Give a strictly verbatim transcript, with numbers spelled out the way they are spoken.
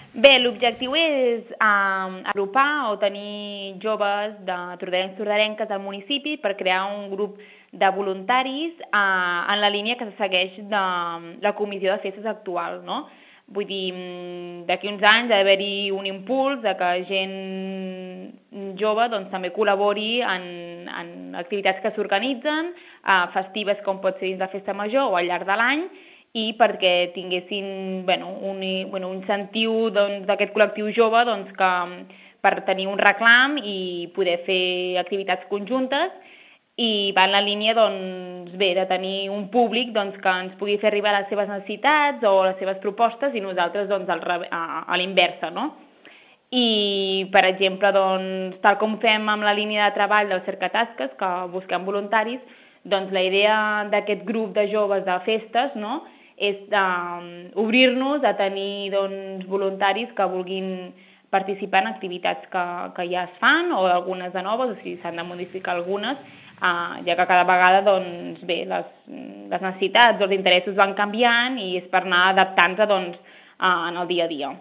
Bé, l'objectiu és um, agrupar o tenir joves de tordarencs tordarenques al municipi per crear un grup de voluntaris uh, en la línia que se segueix de la comissió de festes actual, no? Vull dir, d'aquí uns anys ha d'haver-hi un impuls de que gent jove doncs, també col·labori en, en activitats que s'organitzen, uh, festives com pot ser dins de festa major o al llarg de l'any, i perquè tinguessin bueno, un, bueno, un incentiu doncs, d'aquest col·lectiu jove doncs, que, per tenir un reclam i poder fer activitats conjuntes, i va en la línia doncs, bé, de tenir un públic doncs, que ens pugui fer arribar les seves necessitats o les seves propostes i nosaltres doncs, al, a, a l'inversa, no? I, per exemple, doncs, tal com fem amb la línia de treball del Cercatasques, que busquem voluntaris, doncs la idea d'aquest grup de joves de festes, no?, és d'obrir-nos a tenir doncs, voluntaris que vulguin participar en activitats que, que ja es fan o algunes de noves, o sigui, s'han de modificar algunes, eh, ja que cada vegada doncs, bé, les, les necessitats o els interessos van canviant i és per anar adaptant-se doncs, eh, en el dia a dia.